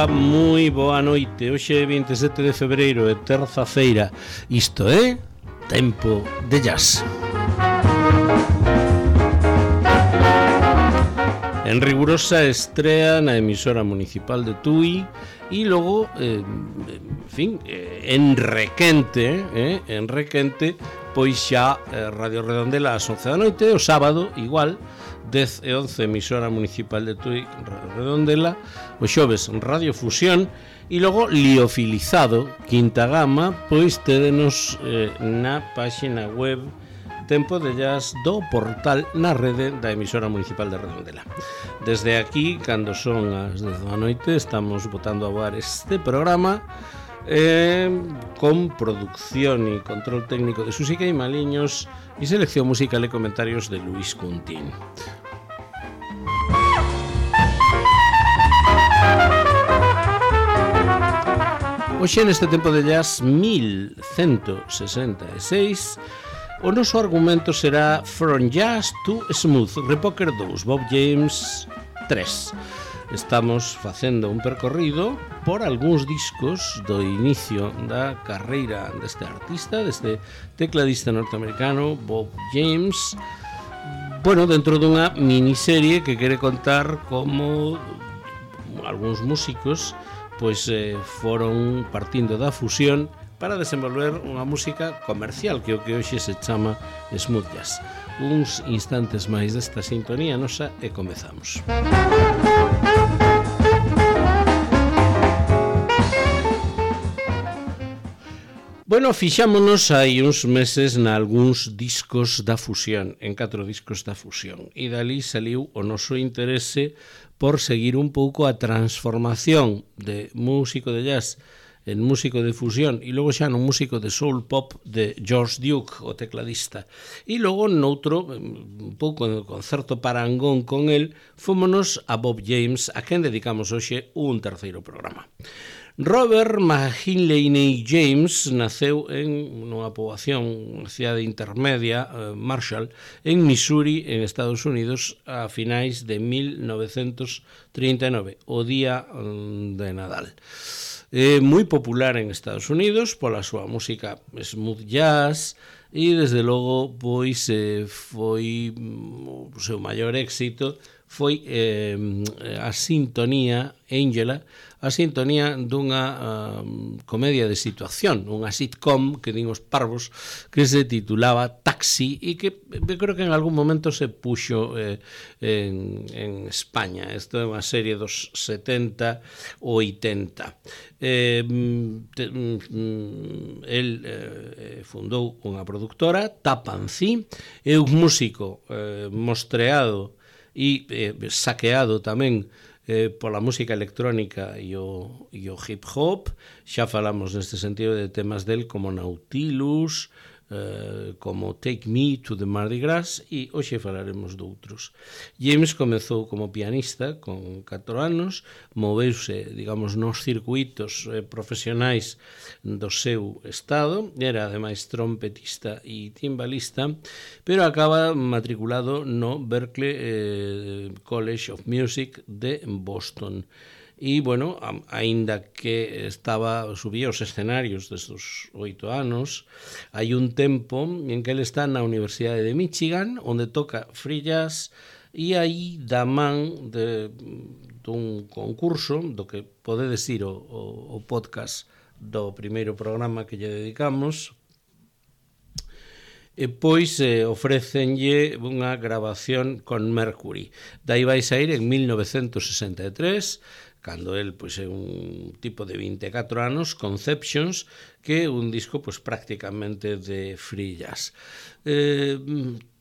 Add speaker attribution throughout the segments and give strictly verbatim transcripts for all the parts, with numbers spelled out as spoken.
Speaker 1: Ola, moi boa noite. Hoxe é vinte e sete de febreiro e terza-feira. Isto é Tempo de Jazz. En rigurosa estrea na emisora municipal de Tui e logo, eh, en fin, eh, en requente, eh, en requente, pois xa eh, Radio Redondela ás once da noite, o sábado, igual, dez e once emisora municipal de Tui, Radio Redondela, o xoves Radio Fusión, e logo liofilizado, quinta gama, pois tédenos eh, na páxina web Tempo de Jazz do portal na rede da emisora municipal de Redondela. Desde aquí, cando son as dez da noite, estamos botando a voar este programa eh, con producción e control técnico de Susica e Maliños e selección musical e comentarios de Luis Cuntín. Hoxe neste Tempo de Jazz mil cento sesenta e seis o noso argumento será From Jazz to Smooth, Repoker dous, Bob James tres. Estamos facendo un percorrido por algúns discos do inicio da carreira deste artista, deste tecladista norteamericano Bob James, bueno, dentro dunha miniserie que quere contar como algúns músicos pois eh, foron partindo da fusión para desenvolver unha música comercial, que é o que hoxe se chama smooth jazz. Uns instantes máis desta sintonía nosa e comezamos. Bueno, fixámonos hai uns meses na algúns discos da fusión, en catro discos da fusión, e dali saliu o noso interese por seguir un pouco a transformación de músico de jazz en músico de fusión e logo xa no músico de soul pop de George Duke, o tecladista. E logo noutro, un pouco con certo parangón con el, fómonos a Bob James, a quen dedicamos hoxe un terceiro programa. Robert McKinley James naceu en unha poboación, unha cidade intermedia, eh, Marshall, en Missouri, en Estados Unidos, a finais de mil novecentos trinta e nove, o día de Nadal. É moi popular en Estados Unidos pola súa música smooth jazz e desde logo pois eh, foi o seu maior éxito foi eh, a sintonía Angela, a sintonía dunha uh, comedia de situación, unha sitcom que din os parvos, que se titulaba Taxi e que eu creo que en algún momento se puxo eh, en, en España. Isto é unha serie dos setenta ou oitenta. Eh, te, mm, el eh, fundou unha productora, Tapancí, é un músico eh, mostreado e eh, saqueado tamén eh, pola música electrónica e o, e o hip hop. Xa falamos neste sentido de temas del como Nautilus, eh, como Take Me to the Mardi Gras, e hoxe falaremos de outros. James comezou como pianista con catro anos, moveuse, digamos, nos circuitos eh, profesionais do seu estado, era ademais trompetista e timbalista, pero acaba matriculado no Berklee eh, College of Music de Boston. E, bueno, aínda que estaba subía os escenarios destos oito anos, hai un tempo en que ele está na Universidade de Michigan, onde toca free jazz, e aí da man de, dun concurso, do que podedes ir o, o, o podcast do primeiro programa que lle dedicamos, e pois eh, ofrécenlle unha grabación con Mercury. Dai vai sair en mil novecentos sesenta e tres, cando el pois é un tipo de vinte e catro anos, Conceptions, que é un disco pois prácticamente de free jazz. Eh,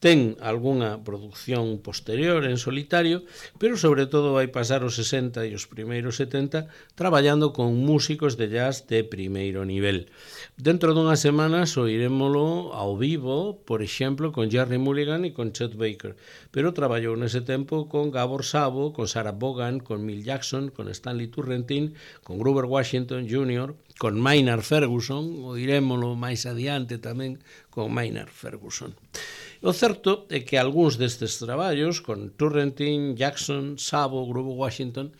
Speaker 1: ten algunha producción posterior en solitario, pero sobre todo vai pasar os sesenta e os primeiros setenta traballando con músicos de jazz de primeiro nivel. Dentro dunhas semanas oirémolo ao vivo, por exemplo, con Jerry Mulligan e con Chet Baker, pero traballou nese tempo con Gabor Szabo, con Sarah Vaughan, con Milt Jackson, con Stanley Turrentine, con Grover Washington júnior, con Maynard Ferguson, oirémolo máis adiante tamén con Maynard Ferguson. O certo é que algúns destes traballos, con Turrentine, Jackson, Szabo, Grover Washington,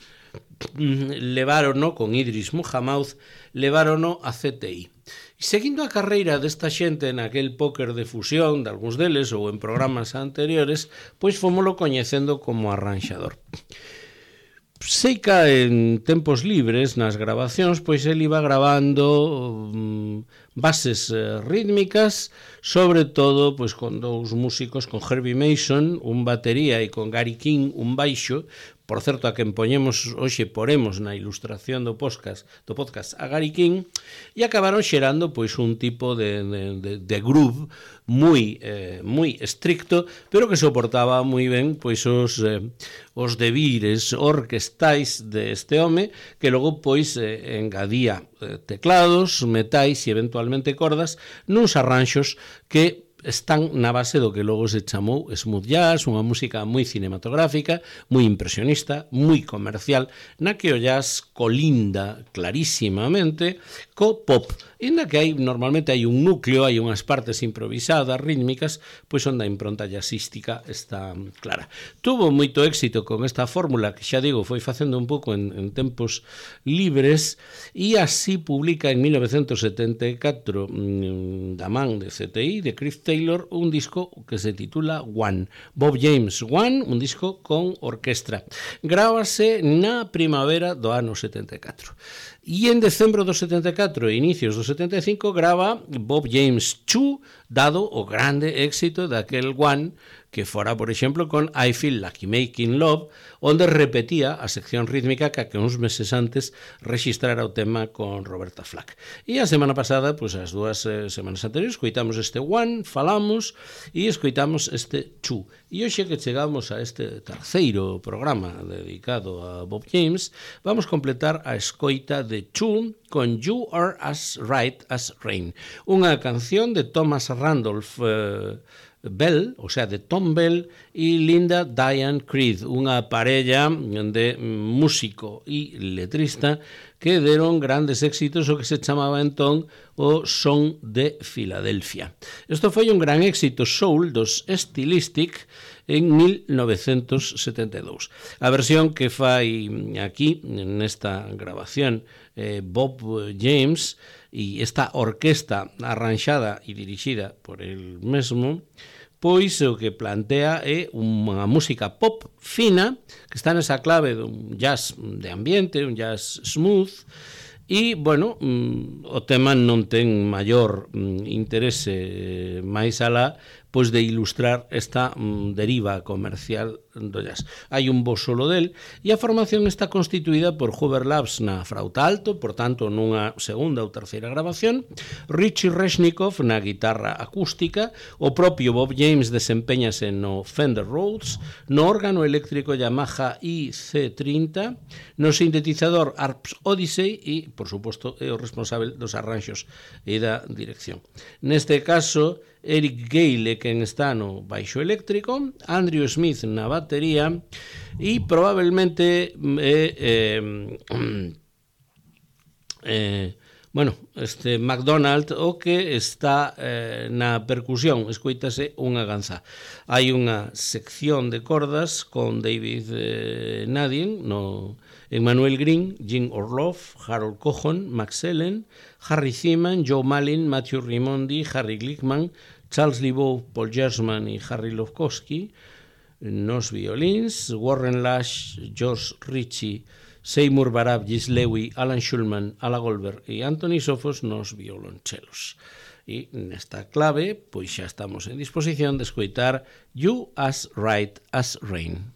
Speaker 1: levárono con Idris Muhammad, levárono a C T I. E seguindo a carreira desta xente naquel póker de fusión, de algúns deles, ou en programas anteriores, pois fomolo coñecendo como arranxador. Seica en tempos libres, nas grabacións, pois el iba grabando um, bases eh, rítmicas, sobre todo pois con dous músicos, con Herbie Mason, un batería, e con Gary King, un baixo. Por certo, a quen poñemos hoxe poremos na ilustración do podcast, do podcast a Gary King, e acabaron xerando pois un tipo de, de, de, de groove moi eh, moi estricto, pero que soportaba moi ben pois os eh, os debires orquestais deste home, que logo pois eh, engadía eh, teclados, metais e eventualmente cordas nuns arranxos que están na base do que logo se chamou smooth jazz, unha música moi cinematográfica, moi impresionista, moi comercial, na que o jazz colinda clarísimamente co pop, e na que hai, normalmente hai un núcleo, hai unhas partes improvisadas, rítmicas, pois onde a impronta jazzística está clara. Tuvo moito éxito con esta fórmula que, xa digo, foi facendo un pouco en, en tempos libres, e así publica en mil novecentos setenta e catro da man de C T I, de Cliff Taylor, un disco que se titula One. Bob James One, un disco con orquestra. Grábase na primavera do ano setenta e catro. E en decembro do setenta e catro e inicios do setenta e cinco grava Bob James two, dado o grande éxito daquel One, que fora, por exemplo, con I Feel Like Making Love, onde repetía a sección rítmica que uns meses antes registrara o tema con Roberta Flack. E a semana pasada, pois as dúas eh, semanas anteriores, escoitamos este One, falamos, e escoitamos este Two. E hoxe que chegamos a este terceiro programa dedicado a Bob James, vamos completar a escoita de Two con You Are As Right As Rain, unha canción de Thomas Randolph eh, Bell, o sea, de Tom Bell e Linda Diane Creed, unha parella de músico e letrista que deron grandes éxitos o que se chamaba entón o Son de Filadelfia. Isto foi un gran éxito soul dos Stylistic en mil novecentos setenta e dous. A versión que fai aquí, nesta grabación, eh, Bob James, e esta orquesta arranxada e dirixida por el mesmo, pois o que plantea é unha música pop fina, que está nesa clave dun jazz de ambiente, un jazz smooth, e, bueno, o tema non ten maior interese máis alá pois de ilustrar esta mm, deriva comercial do jazz. Hai un bo solo del, e a formación está constituída por Hoover Labs na frauta alto, por tanto nunha segunda ou terceira grabación, Richie Resnikov na guitarra acústica, o propio Bob James desempeñase no Fender Rhodes, no órgano eléctrico Yamaha I C trinta, no sintetizador Arps Odyssey e, por suposto, é o responsable dos arranxos e da dirección. Neste caso, Eric Gale quen está no baixo eléctrico, Andrew Smith na batería e probablemente eh, eh, eh, bueno, este McDonald o que está eh, na percusión, escoítase unha ganza. Hai unha sección de cordas con David eh, Nadine no Emmanuel Green, Jim Orloff, Harold Cohon, Max Ellen, Harry Seaman, Joe Malin, Matthew Rimondi, Harry Glickman, Charles Libow, Paul Gersman e Harry Lofkowski nos violins, Warren Lash, George Ritchie, Seymour Barab, Gis Lewy, Alan Schulman, Ala Goldberg e Anthony Sofos nos violonchelos. E nesta clave, pois xa estamos en disposición de escoitar You As Right As Rain.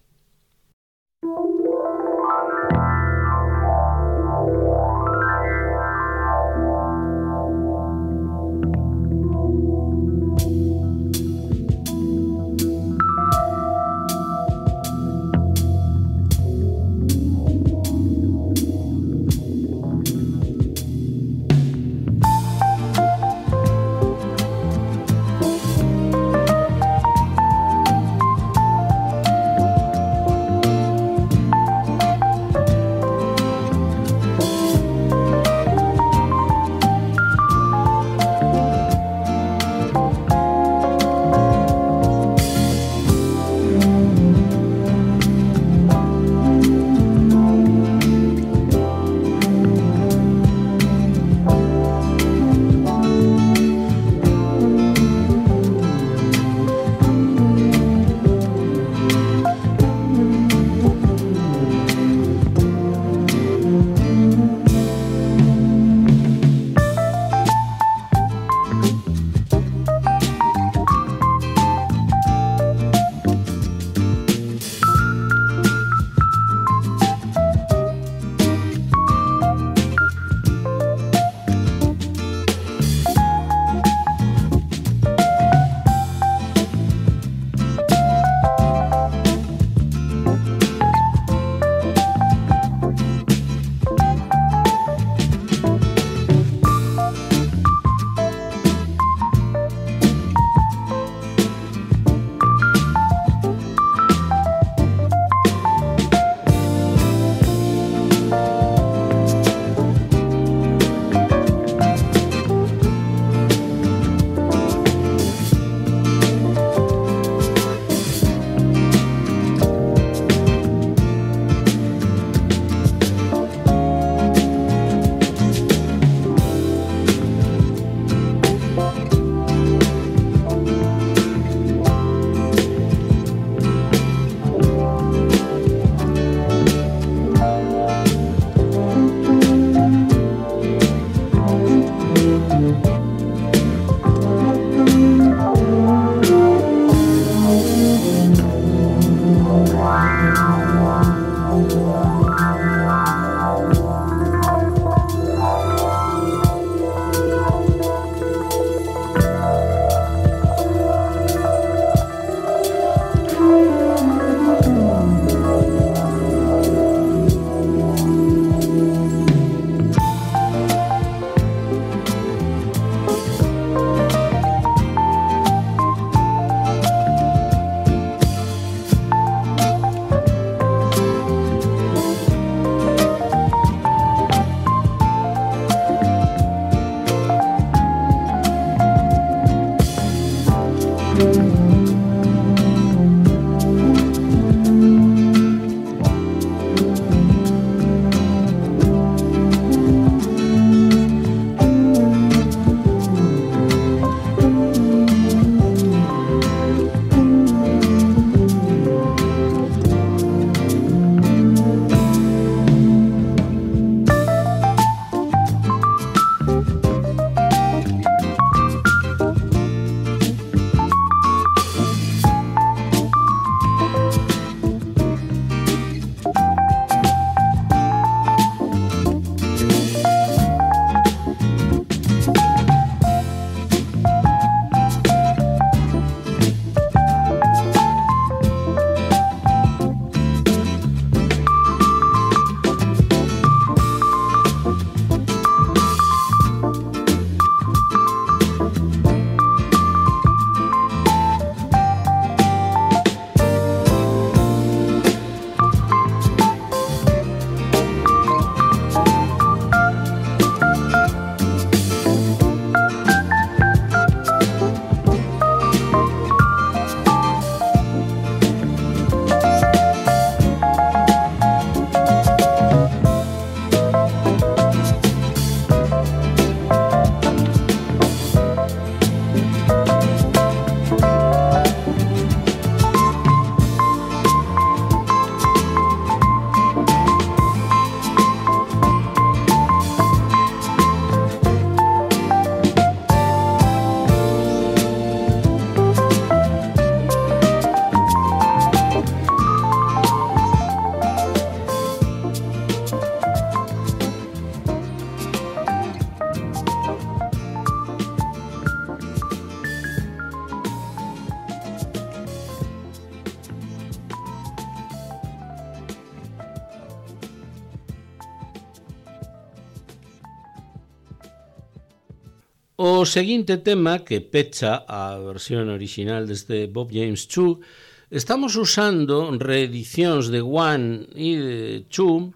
Speaker 1: O seguinte tema, que pecha a versión original deste Bob James two, estamos usando reedicións de One e de Two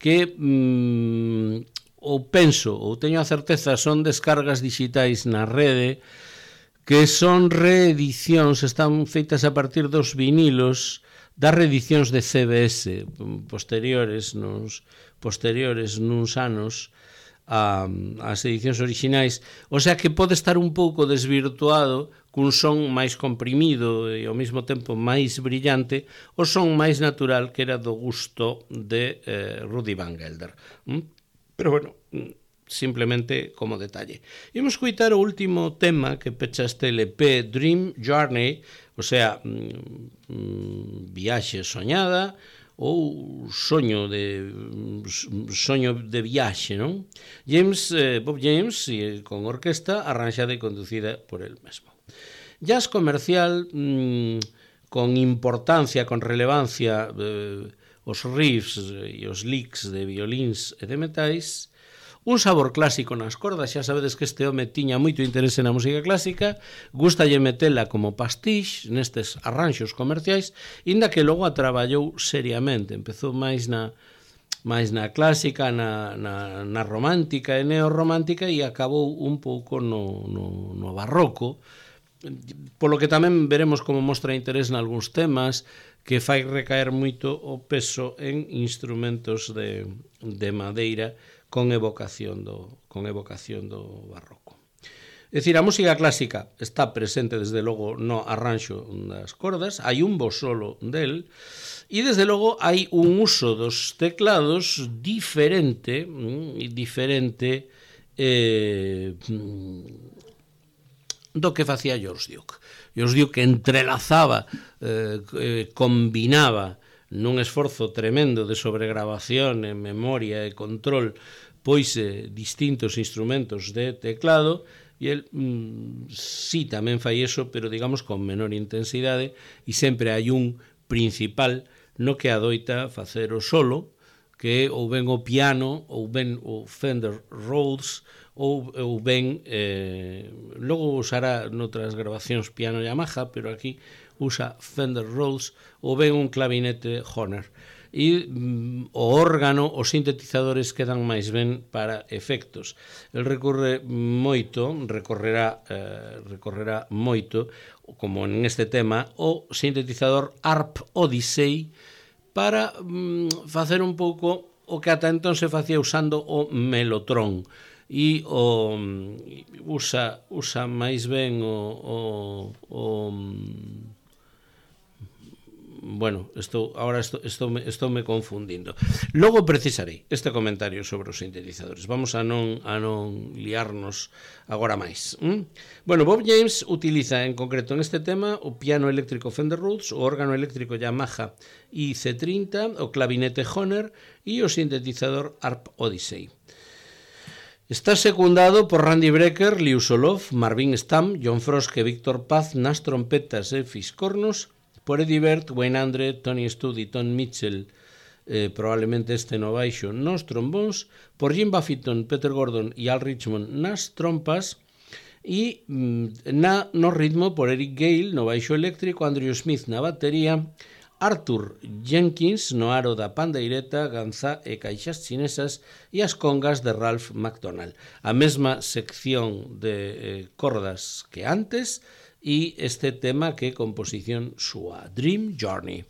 Speaker 1: que mm, ou penso, ou teño a certeza, son descargas digitais na rede, que son reedicións, están feitas a partir dos vinilos das reedicións de C B S posteriores, nos posteriores nuns anos a, as edicións orixinais, o sea que pode estar un pouco desvirtuado cun son máis comprimido e ao mesmo tempo máis brillante, o son máis natural que era do gusto de eh, Rudy Van Gelder. ¿Mm? Pero bueno, simplemente como detalle. Imos coitar o último tema que pecha este L P, Dream Journey, o sea, mm, viaxe soñada, ou soño de soño de viaxe, non? James, eh, Bob James, e, con orquesta arranxada e conducida por el mesmo. Jazz comercial mmm, con importancia, con relevancia, eh, os riffs e os licks de violíns e de metais, un sabor clásico nas cordas. Xa sabedes que este home tiña moito interese na música clásica, gustalle metela como pastiche nestes arranxos comerciais, inda que logo a traballou seriamente. Empezou máis na máis na clásica, na, na, na romántica e neorromántica, e acabou un pouco no, no, no barroco, polo que tamén veremos como mostra interés nalgúns temas, que fai recaer moito o peso en instrumentos de, de madeira, con evocación do, con evocación do barroco. É dicir, a música clásica está presente desde logo no arranxo das cordas, hai un bo solo del, e desde logo hai un uso dos teclados diferente, diferente eh, do que facía George Duke. George Duke entrelazaba, eh, combinaba nun esforzo tremendo de sobregrabación en memoria e control, pois eh, distintos instrumentos de teclado, e el mm, sí tamén fai eso, pero digamos con menor intensidade, e sempre hai un principal no que adoita facer o solo, que ou ben o piano, ou ben o Fender Rhodes, ou, ou ben eh, logo usará noutras grabacións piano Yamaha, pero aquí usa Fender Rhodes, ou ben un clavinete Hohner. E mm, o órgano, os sintetizadores quedan máis ben para efectos. El recorre moito, recorrerá, eh, recorrerá moito, como en este tema, o sintetizador Harp Odyssey, para mm, facer un pouco o que ata entón se facía usando o Mellotron. E o, usa, usa máis ben o... o, o bueno, estou, ahora estou, estou, me, estou me confundindo. Logo precisarei este comentario sobre os sintetizadores. Vamos a non, a non liarnos agora máis. ¿Mm? Bueno, Bob James utiliza en concreto en este tema o piano eléctrico Fender Rhodes, o órgano eléctrico Yamaha I C treinta, o clavinete Hohner e o sintetizador Harp Odyssey. Está secundado por Randy Brecker, Liu Solov, Marvin Stamm, John Frost e Víctor Paz nas trompetas e fiscornos, por Eddie Bert, Wayne Andre, Tony Studd e Tom Mitchell, eh, probablemente este no baixo, nos trombóns, por Jim Buffington, Peter Gordon e Al Richmond nas trompas, e mm, na, no ritmo por Eric Gale no baixo eléctrico, Andrew Smith na batería, Arthur Jenkins no aro da pandeireta, ganzá e caixas chinesas e as congas de Ralph McDonald. A mesma sección de eh, cordas que antes, e este tema que é composición súa, Dream Journey.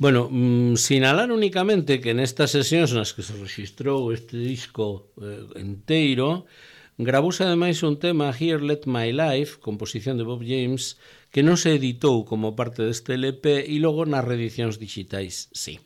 Speaker 1: Bueno, mmm, sinalar únicamente que nestas sesións nas que se registrou este disco eh, enteiro, gravouse ademais un tema, Here Let My Life, composición de Bob James, que non se editou como parte deste L P e logo nas reedicións digitais, sí.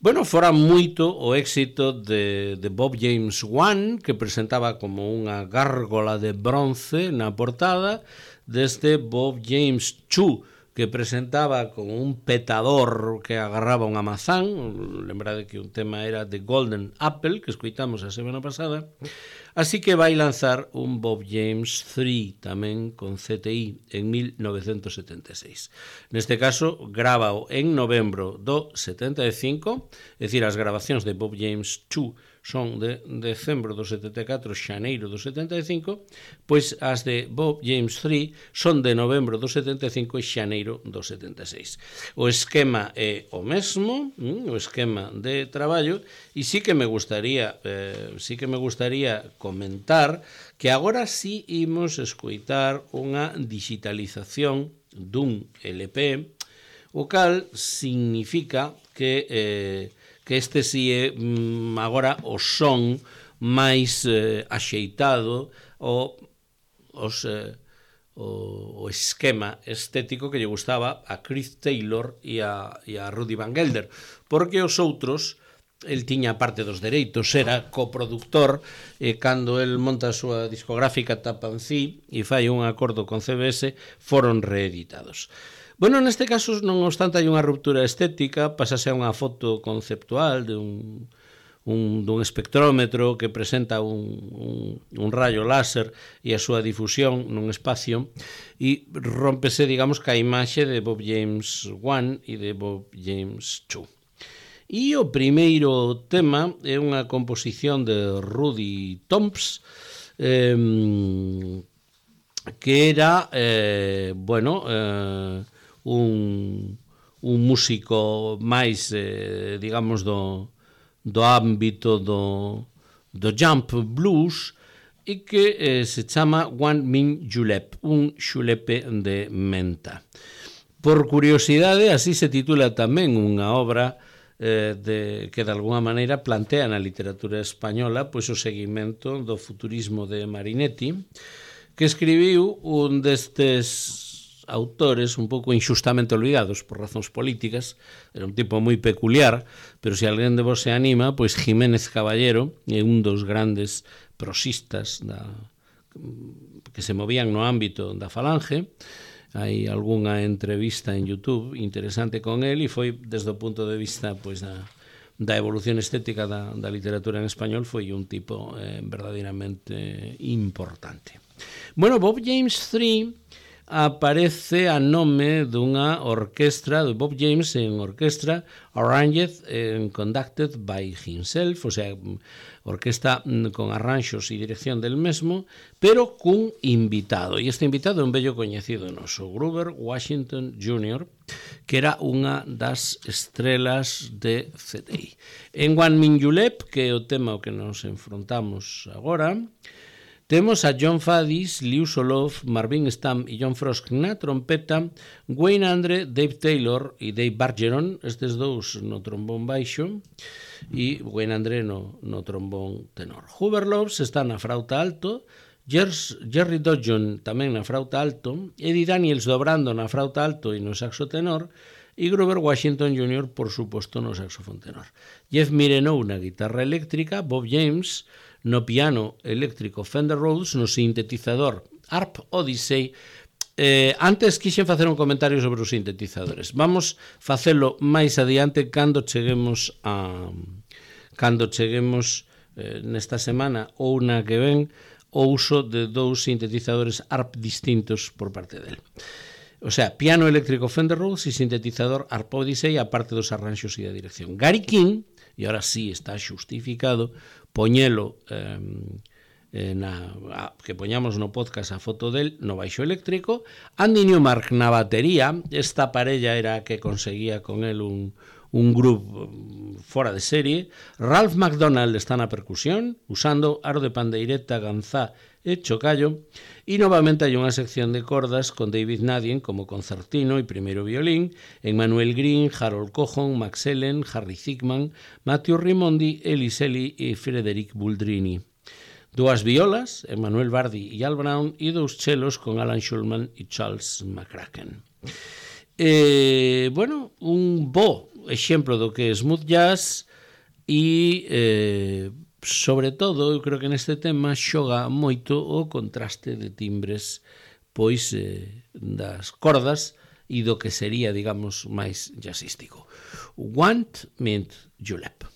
Speaker 1: Bueno, fora moito o éxito de, de Bob James one, que presentaba como unha gárgola de bronce na portada, deste Bob James two, que presentaba como un petador que agarraba unha mazán. Lembrade que un tema era The Golden Apple, que escoitamos a semana pasada. Así que vai lanzar un Bob James three tamén con C T I en mil novecentos setenta e seis. Neste caso, grábao en novembro do setenta e cinco, é dicir, as grabacións de Bob James two son de decembro do setenta e catro, xaneiro do setenta e cinco, pois as de Bob James three son de novembro do setenta e cinco e xaneiro do setenta e seis. O esquema é o mesmo, o esquema de traballo, e sí que me gustaría, eh, sí que me gustaría comentar que agora sí imos escoitar unha digitalización dun L P, o cal significa que eh, que este si é mm, agora o son máis eh, axeitado o, os, eh, o, o esquema estético que lle gustaba a Chris Taylor e a, e a Rudy Van Gelder, porque os outros, el tiña parte dos dereitos, era coproductor, e cando el monta a súa discográfica Tapancí e fai un acordo con C B S, foron reeditados. Bueno, neste caso, non obstante, hai unha ruptura estética, pasase a unha foto conceptual de un, un, dun espectrómetro que presenta un, un, un rayo láser e a súa difusión nun espacio, e rómpese, digamos, ca imaxe de Bob James one e de Bob James two. E o primeiro tema é unha composición de Rudy Tomps, eh, que era, eh, bueno, eh, un, un músico máis, eh, digamos, do, do ámbito do, do jump blues, e que eh, se chama One Min Julep, un xulepe de menta. Por curiosidade, así se titula tamén unha obra eh, de, que de alguna maneira plantea na literatura española pois o seguimento do futurismo de Marinetti, que escribiu un destes autores un pouco inxustamente olvidados por razóns políticas. Era un tipo moi peculiar, pero se alguén de vos se anima, pois Jiménez Caballero é un dos grandes prosistas da, que se movían no ámbito da Falange. Hai algunha entrevista en YouTube interesante con el, e foi desde o punto de vista pois da, da evolución estética da, da literatura en español, foi un tipo eh, verdadeiramente importante. Bueno, Bob James three aparece a nome dunha orquestra de Bob James en orquestra arranged and conducted by himself, o sea, orquesta con arranxos e dirección del mesmo, pero cun invitado, e este invitado é un bello coñecido noso, Grover Washington júnior, que era unha das estrelas de C T I. En One Min Julep, que é o tema ao que nos enfrontamos agora, temos a John Faddis, Liu Soloff, Marvin Stamm e John Frost na trompeta, Wayne Andre, Dave Taylor e Dave Bargeron, estes dous no trombón baixo, e Wayne Andre no, no trombón tenor. Hoover Loves está na frauta alto, Gers, Jerry Dodgeon tamén na frauta alto, Eddie Daniels dobrando na frauta alto e no saxo tenor, e Grover Washington júnior, por suposto, no saxofón tenor. Jeff Mirenou na guitarra eléctrica, Bob James no piano eléctrico Fender Rhodes, no sintetizador Harp Odyssey. Eh, antes quixen facer un comentario sobre os sintetizadores. Vamos facelo máis adiante cando cheguemos a cando cheguemos eh, nesta semana ou na que ven o uso de dous sintetizadores Harp distintos por parte del. O sea, piano eléctrico Fender Rhodes e sintetizador Harp Odyssey, a parte dos arranxos e da dirección. Gary King, e ahora sí está xustificado, poñelo eh, na, a, que poñamos no podcast a foto del no baixo eléctrico, Andy Newmark na batería, esta parella era a que conseguía con el un, un grupo fora de serie. Ralph McDonald está na percusión, usando aro de pandeireta, ganzá e chocallo, e novamente hai unha sección de cordas con David Nadien como concertino e primeiro violín, Emmanuel Green, Harold Cohon, Max Ellen, Harry Ziegman, Matthew Rimondi, Ellis Ellie e Frederic Buldrini. Dúas violas, Emmanuel Bardi e Al Brown, e dous chelos con Alan Schulman e Charles McCracken. Eh, bueno, un bo exemplo do que é smooth jazz e, eh, sobre todo, eu creo que neste tema xoga moito o contraste de timbres pois eh, das cordas e do que sería, digamos, máis jazzístico. Want Mint Julep.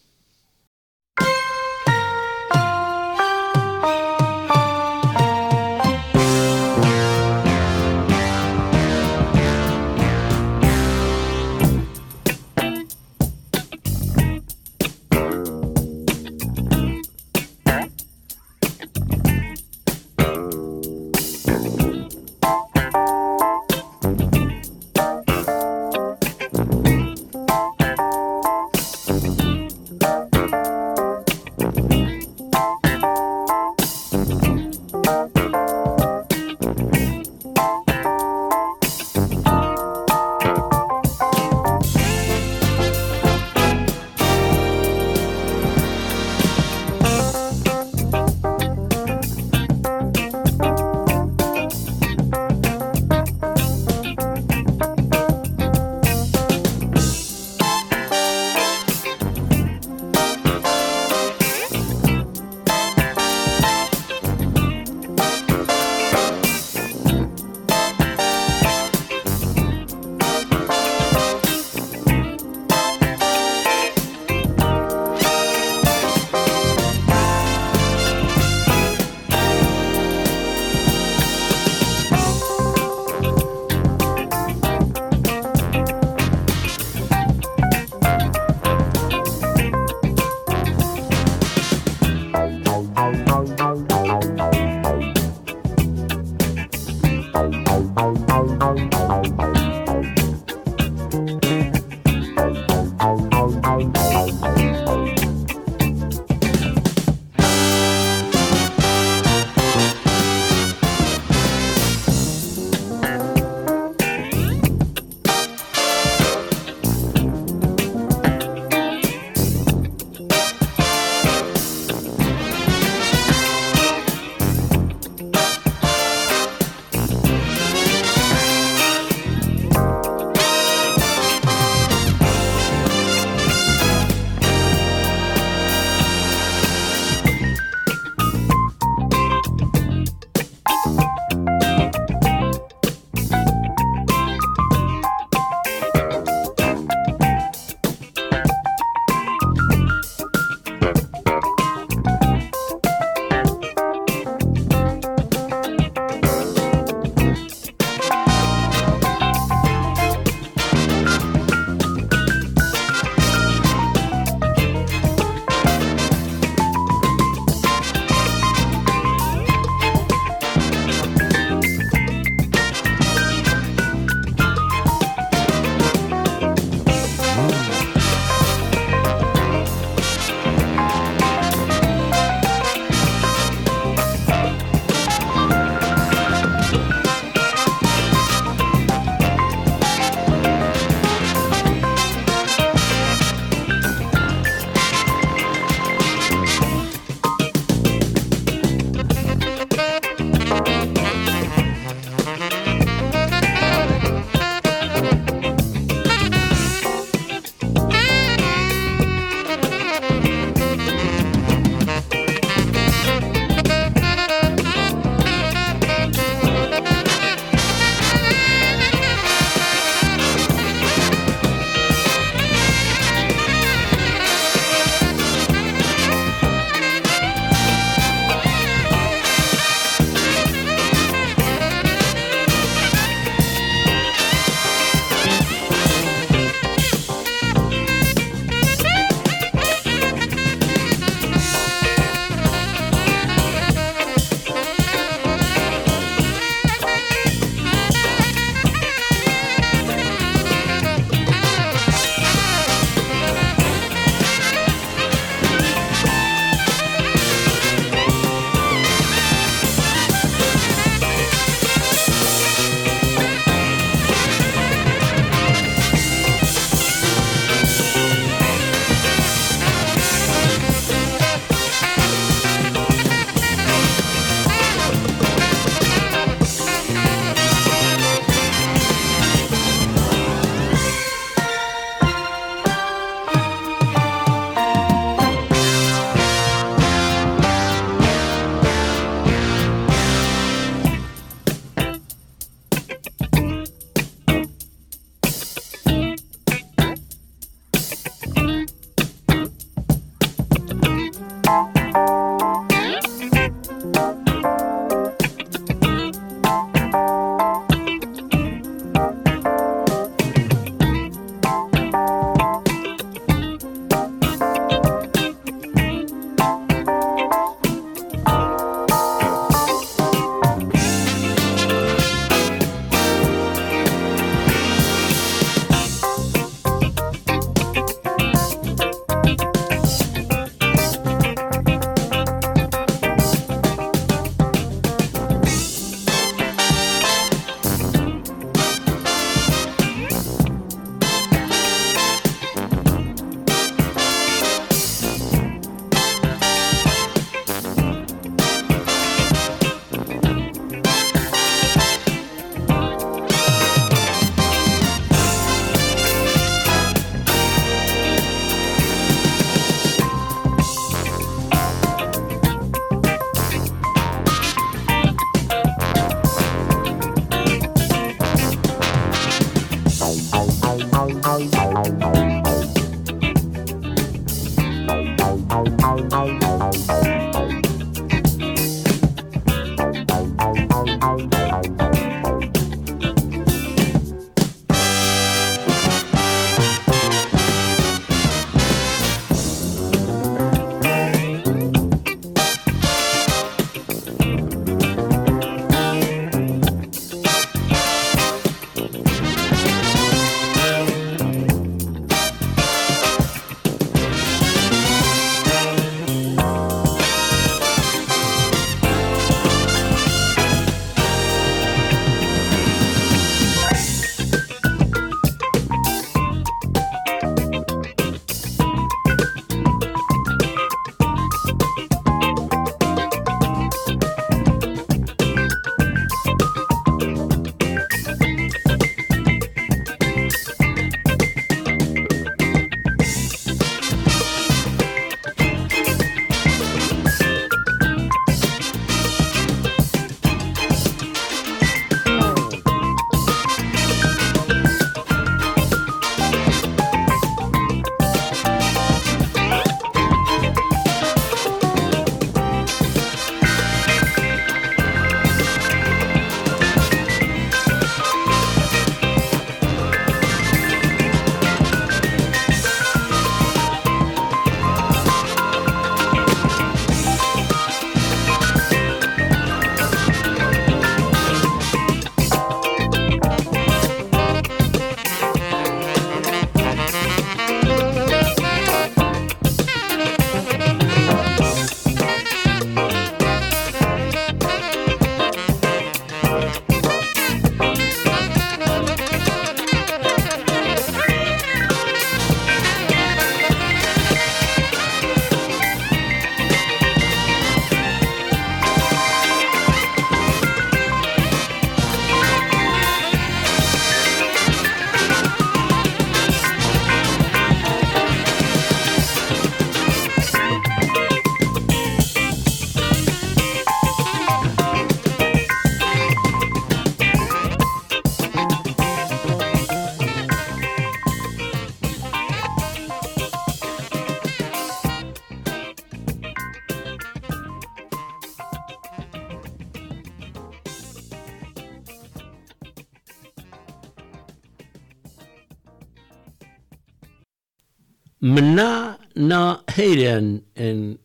Speaker 1: Mna na Heiran en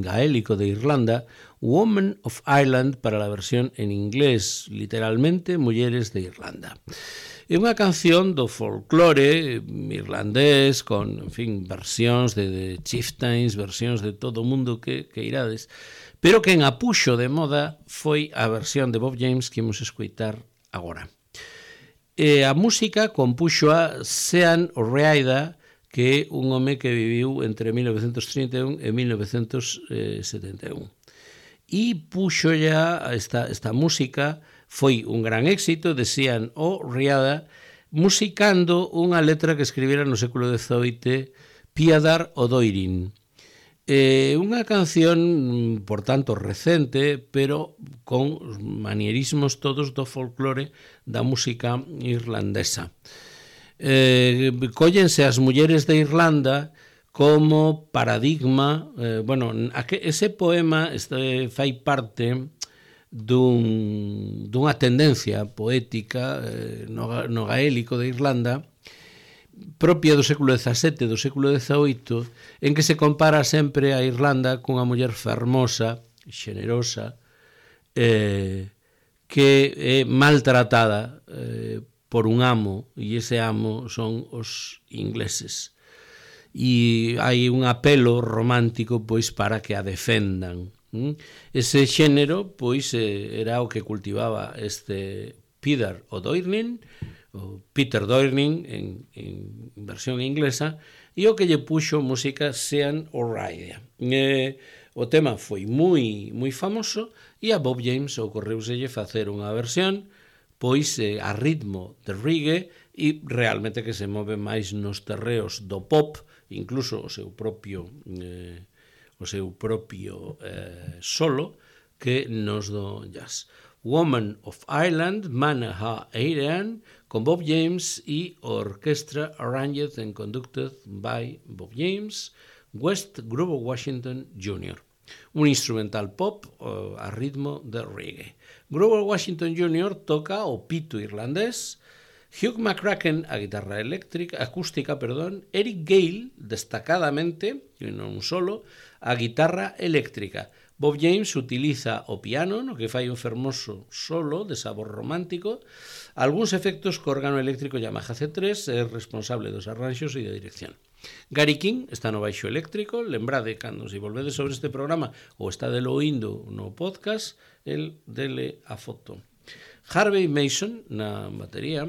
Speaker 1: gaélico de Irlanda, Woman of Ireland para la versión en inglés, literalmente Mulleres de Irlanda. É unha canción do folclore irlandés con, en fin, versións de, de chieftains, versións de todo o mundo que, que irades, pero que en apuxo de moda foi a versión de Bob James que imos escoitar agora. E a música compuxo a Sean O'Reilly, que é un home que viviu entre mil novecentos trinta e un e mil novecentos setenta e un. E puxo ya esta, esta música, foi un gran éxito de Sean O'Reilly, musicando unha letra que escribira no século dezoito Peadar O'Doirin. É unha canción, por tanto, recente, pero con manierismos todos do folclore da música irlandesa. Eh, cóllense as mulleres de Irlanda como paradigma, eh, bueno, ese poema este, fai parte dun, dunha tendencia poética eh, no, no gaélico de Irlanda propia do século dezasete, do século dezaoito, en que se compara sempre a Irlanda cunha muller fermosa, xenerosa, eh, que é maltratada eh, por un amo, e ese amo son os ingleses. E hai un apelo romántico pois para que a defendan. Ese xénero pois era o que cultivaba este Peadar O'Doirin, o Peter Doirning en, en versión inglesa, e o que lle puxo música Sean O'Reilly. Eh, o tema foi moi moi famoso e a Bob James ocorreuselle facer unha versión pois eh, a ritmo de reggae e realmente que se move máis nos terreos do pop, incluso o seu propio eh, o seu propio eh, solo que nos do jazz. Woman of Ireland, Manaha Eiran, con Bob James e orquestra arranged and conducted by Bob James, West Grover Washington júnior Un instrumental pop uh, a ritmo de reggae. Grover Washington júnior toca o pito irlandés, Hugh McCracken a guitarra eléctrica, acústica, perdón, Eric Gale, destacadamente, e non solo, a guitarra eléctrica. Bob James utiliza o piano, no que fai un fermoso solo de sabor romántico, algúns efectos co órgano eléctrico Yamaha C tres, é responsable dos arranxos e da dirección. Gary King está no baixo eléctrico, lembrade, cando se volvedes sobre este programa ou está delo oindo no podcast, el dele a foto. Harvey Mason na batería.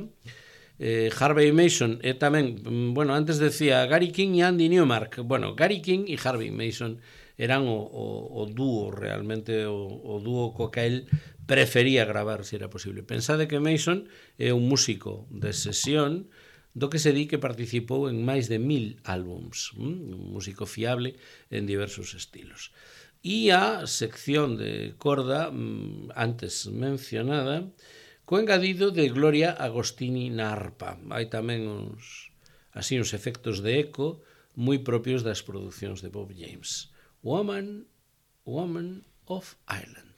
Speaker 1: Eh, Harvey Mason é tamén, bueno, antes decía Gary King e Andy Newmark. Bueno, Gary King e Harvey Mason eran o, o, o dúo, realmente o, o dúo co que el prefería gravar, se era posible. Pensade que Mason é un músico de sesión do que se di que participou en máis de mil álbums, un músico fiable en diversos estilos. E a sección de corda, antes mencionada, co engadido de Gloria Agostini na arpa. Hai tamén uns, así, uns efectos de eco moi propios das producións de Bob James. Woman, Woman of Ireland.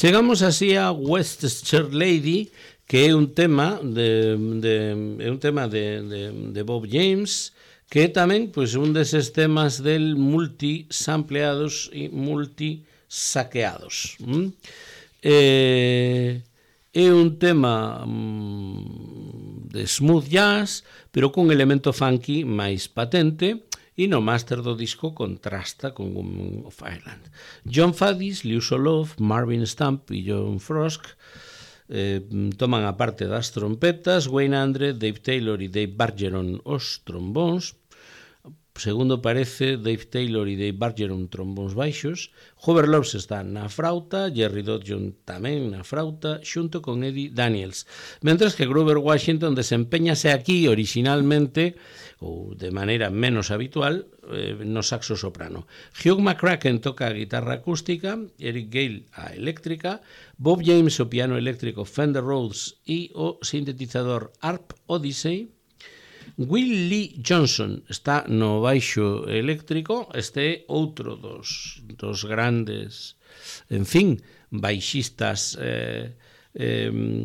Speaker 1: Chegamos así a Westchester Lady, que é un tema de, de, é un tema de, de, de Bob James, que é tamén pois, un deses temas del multisampleados e multisaqueados. Mm? Eh, é un tema mm, de smooth jazz, pero cun elemento funky máis patente, e no máster do disco contrasta con Woman of Ireland. John Faddis, Liu Solov, Marvin Stump e John Frost eh, toman a parte das trompetas, Wayne Andre, Dave Taylor e Dave Bargeron os trombóns, segundo parece Dave Taylor e Dave Bargeron trombóns baixos, Hoover Loves está na frauta, Jerry Dodson tamén na frauta, xunto con Eddie Daniels, mentres que Grover Washington desempeñase aquí originalmente ou de maneira menos habitual eh, no saxo soprano. Hugh McCracken toca a guitarra acústica, Eric Gale a eléctrica, Bob James o piano eléctrico Fender Rhodes e o sintetizador Harp Odyssey, Will Lee Johnson está no baixo eléctrico, este é outro dos, dos grandes, en fin, baixistas eh, eh,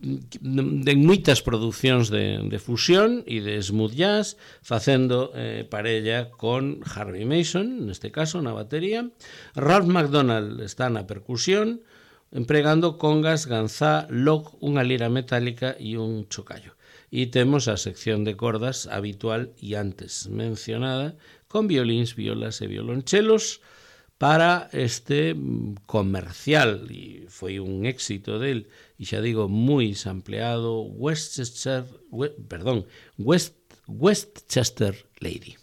Speaker 1: de moitas producións de, de fusión e de smooth jazz, facendo eh, parella con Harvey Mason, neste caso na batería. Ralph McDonald está na percusión, empregando congas, ganzá, log, unha lira metálica e un chocallo. E temos a sección de cordas habitual e antes mencionada, con violíns, violas e violonchelos, para este comercial, e foi un éxito del, e xa digo, moi sampleado, Westchester, we, perdón, West, Westchester Lady.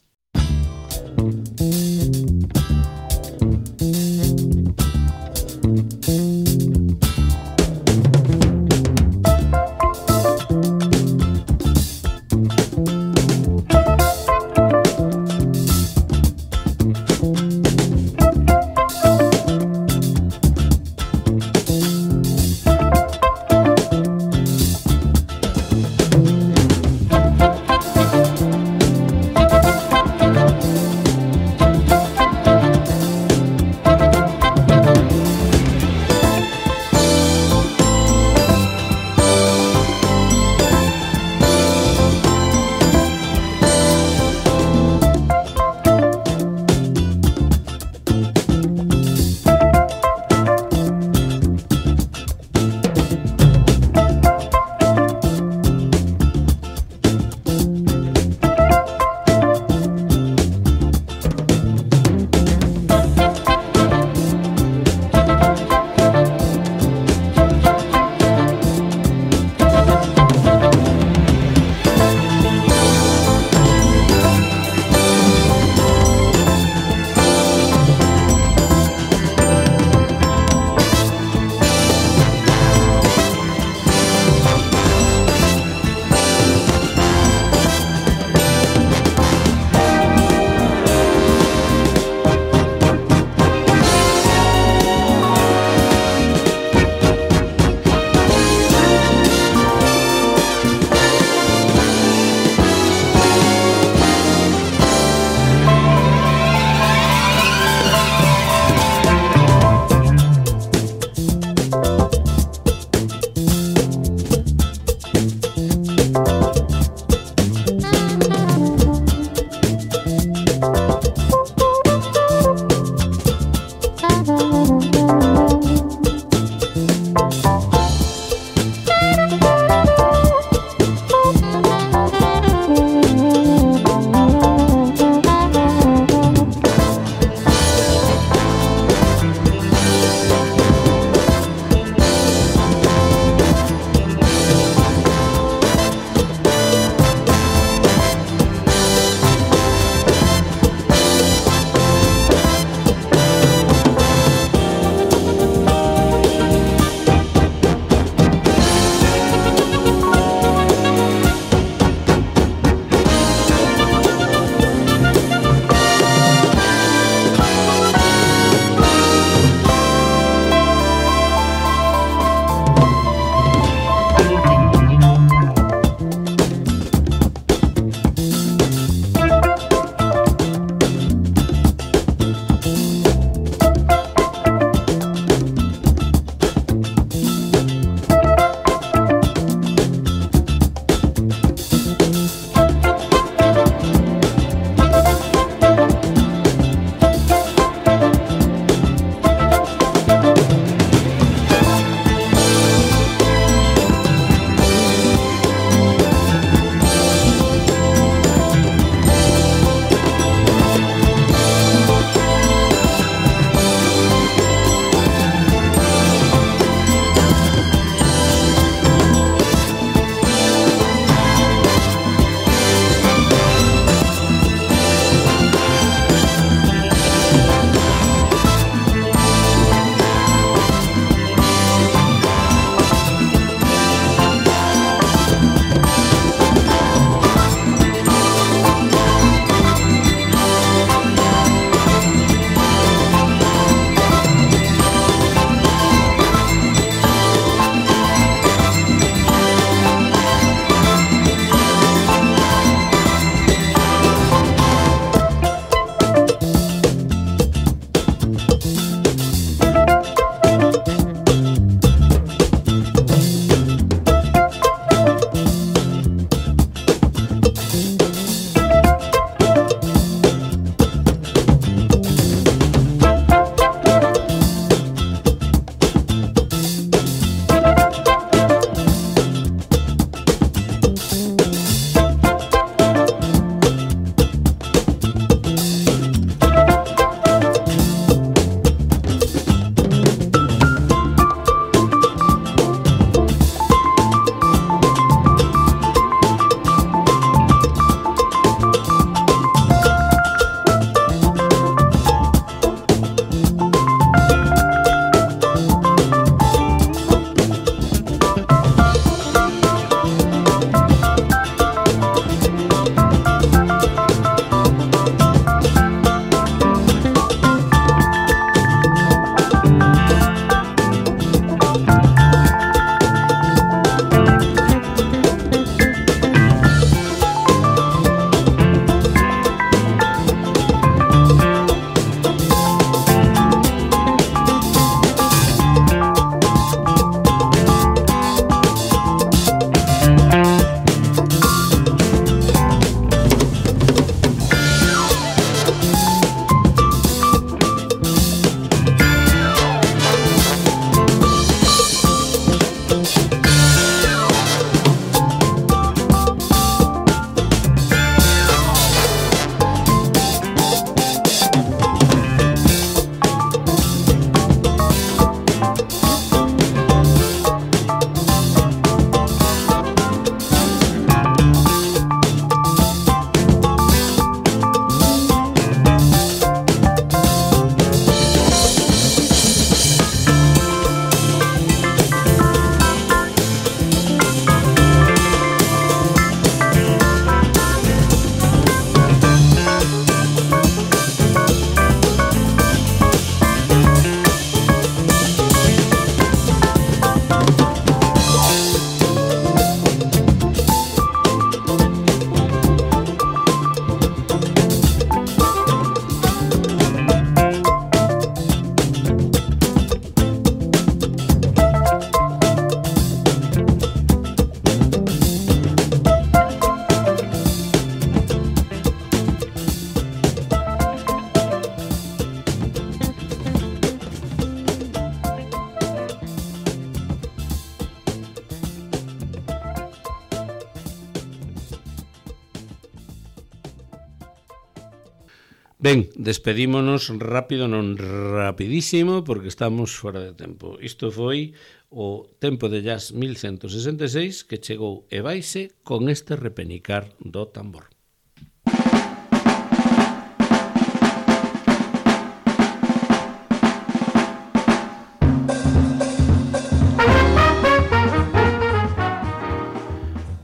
Speaker 1: Ben, despedímonos rápido, non rapidísimo, porque estamos fora de tempo. Isto foi o Tempo de Jazz mil ciento sesenta e seis que chegou e vaise con este repenicar do tambor.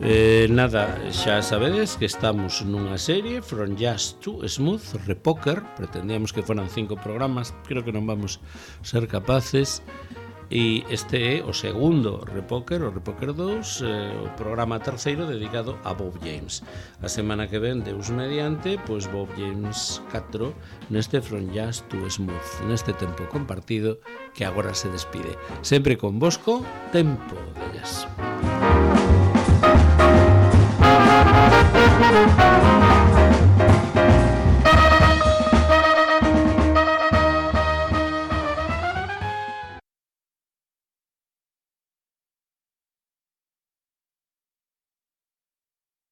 Speaker 1: Eh, nada, xa sabedes que estamos nunha serie From Jazz to Smooth, Repoker. Pretendíamos que foran cinco programas, creo que non vamos ser capaces. E este é o segundo Repoker, o Repoker dous, eh, o programa terceiro dedicado a Bob James. A semana que ven, Deus mediante, pois Bob James catro neste From Jazz to Smooth, neste tempo compartido que agora se despide. Sempre con Bosco, Tempo de Jazz.